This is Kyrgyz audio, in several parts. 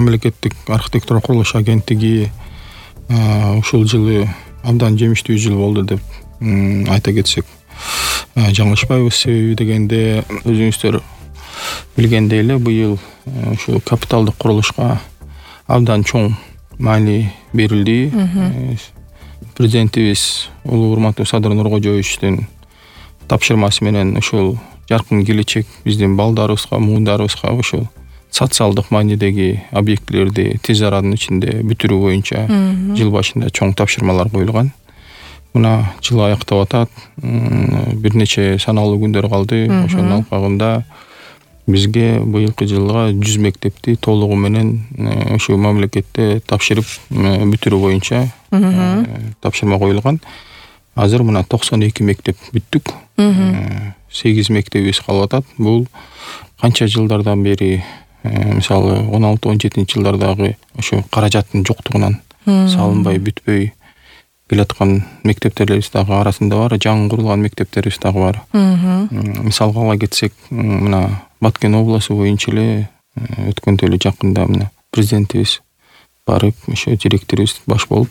мамлекеттик архитектура курулуш агенттиги ушул жылы абдан жемиштүү жыл болду деп айта кетсек жаңылышпайбыз. Себеби дегенде өзүңүздөр билгендей эле быйыл ушул капиталдык курулушка абдан чоң маани берилди. Президентибиз улуу урматтуу Садыр Нуркожоевичтин тапшырмасы менен ушул жаркын келечек биздин балдарыбызга, муундарыбызга ушул социалдык маанидеги объектилерди тез аранын ичинде бүтүрүү боюнча жыл башында чоң тапшырмалар коюлган. Мына жыл аяктап атат. Бир нече саналуу күндөр калды. Ошонун алкагында бизге быйылкы жылга 100 мектепти толугу менен ошо мамлекетте тапшырып бүтүрүү боюнча тапшырма коюлган. Азыр мына 92 мектеп бүттүк. 8 мектебибиз калып атат. Бул канча жылдардан бери мисалы 16-17 жылдардагы ошо каражаттын жоктугунан салынбай бүтпөй келаткан мектептерибиз дагы арасында бар, жаңы курулган мектептерибиз дагы бар. Мисалга ала кетсек, мына Баткен областы боюнча эле өткөндө эле жакында мына президентибиз барып, ошо директорубуз баш болуп,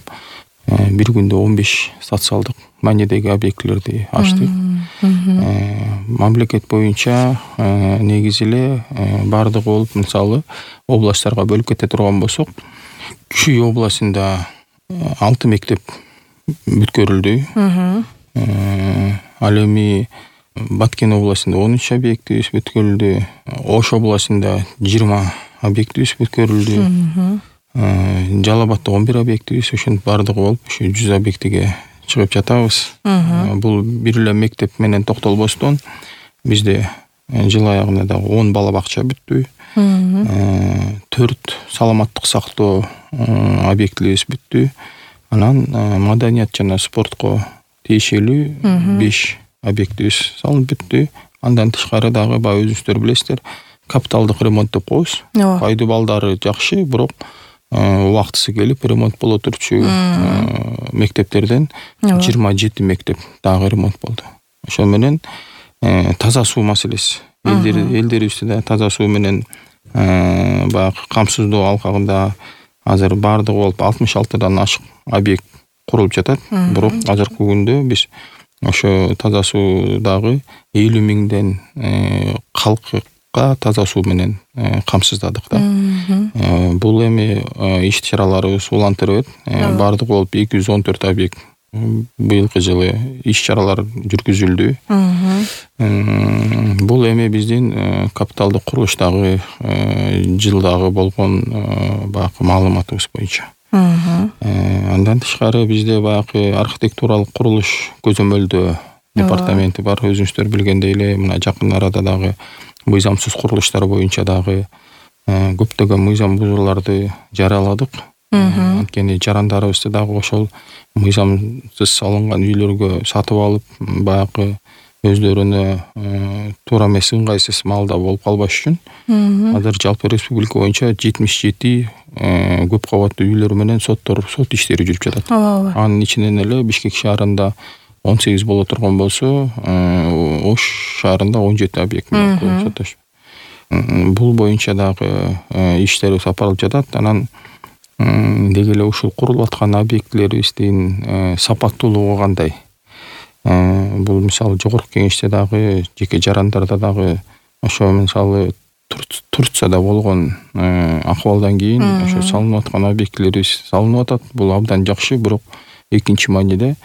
бир күндө 15 социалдык маанидеги объектилерди ачты. Мамлекет боюнча негизи эле бардыгы болуп, мисалы областтарга бөлүп кете турган болсок, Чүй областында 6 мектеп бүткөрүлдү. Ал эми Баткен областында 13 объектибиз бүткөрүлдү. Ош областында 20 объектибиз бүткөрүлдү. Жалал Абадта 11 объектибиз, ошонун бардыгы болуп, ушу 100 объектиге чыгып жатабыз. Бул бир эле мектеп менен токтолбостон бизде жыл аягында дагы 10 бала бакча бүттү. 4 саламаттык сактоо объектибиз бүттү. Анан маданият жана спортко тиешелүү 5 объектибиз салынып бүттү. Андан тышкары дагы баягы өзүңүздөр билесиздер, капиталдык ремонт деп коебуз. Пайды балдары жакшы, бирок убактысы келип ремонт боло турчу мектептерден 27 мектеп дагы ремонт болду. Ошо менен таза суу маселеси. Элдерибизде да таза суу менен баягы камсыздоо алкагында азыр бардыгы болуп 66дан ашык объект курулуп жатат. Бирок азыркы күндө биз ошо таза суу дагы 50 миңден калкка таза суу менен камсыздадык да. Бул эми иш-чараларыбыз улантырып бардыгы болуп 214 объект быйылкы жылы иш-чаралар жүргүзүлдү. Бул эми биздин капиталдык курулуштагы жылдагы болгон баягы маалыматыбыз боюнча. Андан тышкары бизде баягы архитектуралык курулуш көзөмөлдөө департаменти бар. Өзүңүздөр билгендей эле мына жакын арада дагы мыйзамсыз курулуштар боюнча дагы көптөгөн мыйзам бузууларды жарыяладык. Анткени жарандарыбызды дагы ошол мыйзамсыз салынган үйлөргө сатып алып, баягы өздөрүнө туура эмес ыңгайсыз маалда болуп калбаш үчүн азыр жалпы республика боюнча 77 көп кабаттуу үйлөр менен сот иштери жүрүп жатат. Анын ичинен эле Бишкек шаарында 18 боло турган болсо, Ош шаарында 17 объект менен соттош. Бул боюнча дагы иштер сапарылып жатат. Анан деги эле ушул курулуп аткан объектилерибиздин сапаттуулугу кандай? Бул мисалы жогорку кеңеште дагы жеке жарандарда дагы ошо мисалы Турцияда болгон акыбалдан кийин ошо салынып аткан объектилерибиз салынып атат. Бул абдан жакшы, бирок экинчи мааниде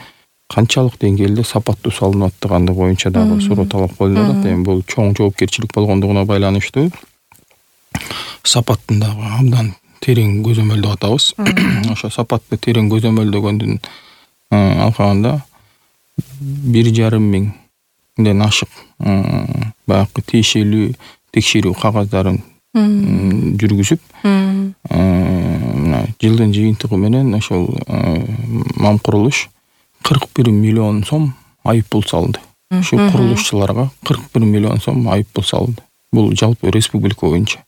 канчалык деңгээлде сапаттуу салынып аттыганы боюнча дагы суроо талап коюлуп атат. Эми бул чоң жоопкерчилик болгондугуна байланыштуу сапаттын дагы абдан терең көзөмөлдөп атабыз. Ошо сапатты терең көзөмөлдөгөндүн алкагында 1,5 миңден ашык баягы тиешелүү текшерүү кагаздарын жүргүзүп, жылдын жыйынтыгы менен ошол мам курулуш 41 миллион сом айыппул салынды. Ушул курулушчуларга 41 миллион сом айыппул салынды. Бул жалпы республика боюнча.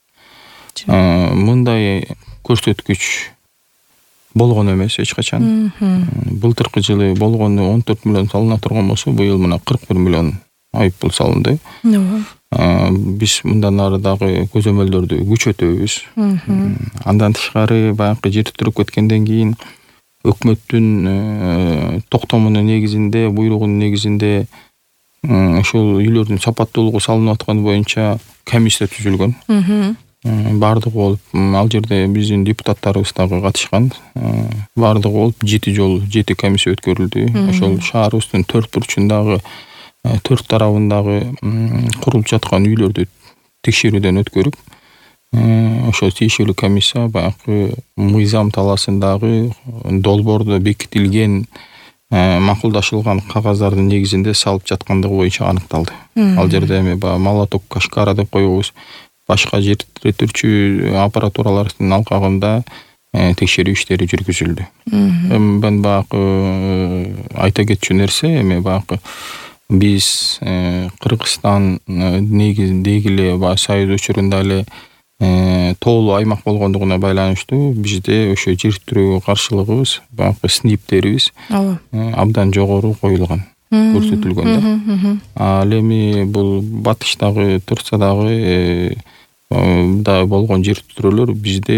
Мындай көрсөткүч болгон эмес эч качан. Былтыркы жылы болгону 14 миллион салына турган болсо, быйыл мына 41 миллион айыппул салынды. биз мындан ары дагы көзөмөлдөрдү күчөтөбүз. Андан тышкары баягы жер титиреп кеткенден кийин өкмөттүн токтомунун негизинде, буйругунун негизинде ошол үйлөрдүн сапаттуулугу салынып атканы боюнча комиссия түзүлгөн. Бардыгы болуп, ал жерде биздин депутаттарыбыз дагы катышкан. Бардыгы болуп 7 жолу 7 комиссия өткөрүлдү. Ошол шаарыбыздын 4 бурчундагы 4 тарабындагы курулуп жаткан үйлөрдү текшерүүдөн өткөрүп, ошо тиешелүү комиссия баягы мыйзам талаасындагы долбоордо бекитилген макулдашылган кагаздардын негизинде салып жаткандыгы боюнча аныкталды. Ал жерде эми баягы молоток, кашкара деп коебуз, башка жер титиретүүчү аппаратуралардын алкагында текшерүү иштери жүргүзүлдү. Мен баягы айта кетчү нерсе, эми баягы биз Кыргызстан негизинде эле баягы союз учурунда эле тоолуу аймак болгондугуна байланыштуу бизде ошо жер титирөөгө каршылыгыбыз, баягы СНИПтерибиз абдан жогору коюлган, көрсөтүлгөн да. Ал эми бул батыштагы, Турциядагы да болгон жер титирөөлөр бизде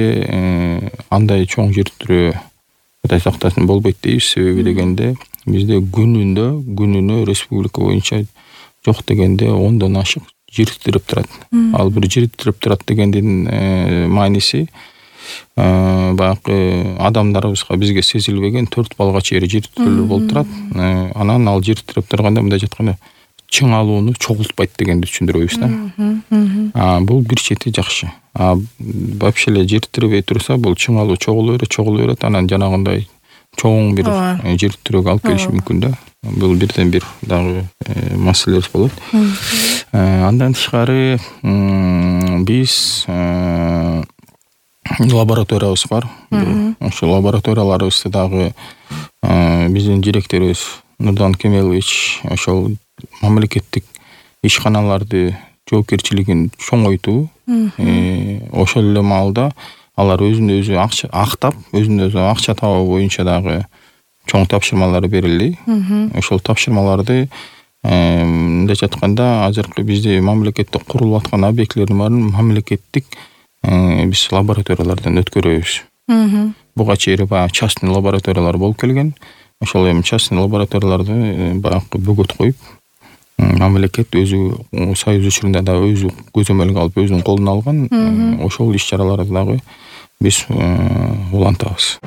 андай чоң жер титирөө Кудай сактасын болбойт дейбиз. Себеби дегенде бизде күнүнө республика боюнча жок дегенде 10дон ашык жер титиреп турат. Ал бир жер титиреп турат дегендин мааниси баягы адамдарыбызга бизге сезилбеген 4 балга чейин жер титирөөлөр болуп турат. Анан ал жер титиреп турганда мындай жатканда чың алууну чогултпайт дегенди түшүндүрөбүз да. Бул бир чети жакшы. Вообще эле жер титиребей турса, бул чың алуу чогулу берет, анан жанагындай чоң бир жер титирөөгө алып келиши мүмкүн да. Бул бирден бир дагы маселебиз болот. Андан тышкары биз лабораториябыз бар. Ошо лабораторияларыбызды дагы биздин директорубуз Нурдан Кемелович ошол мамлекеттик ишканаларды жоопкерчилигин чоңойтуу, ошол эле маалда алар өзүнө өзү актап, өзүнө өзү акча табуу боюнча дагы чоң тапшырмалар берилди. Ошол тапшырмаларды мындай жатканда азыркы бизде мамлекеттик курулуп аткан объектилердин баарын мамлекеттик биз лабораториялардан өткөрөбүз. Буга чейин баягы частный лабораториялар болуп келген. Ошол эми частный лабораторияларды баягы бөгөт коюп, мамлекет өзү союз учурунда да өзү көзөмөлгө алып, өзүнүн колуна алган. Ошол иш чараларды дагы биз улантабыз.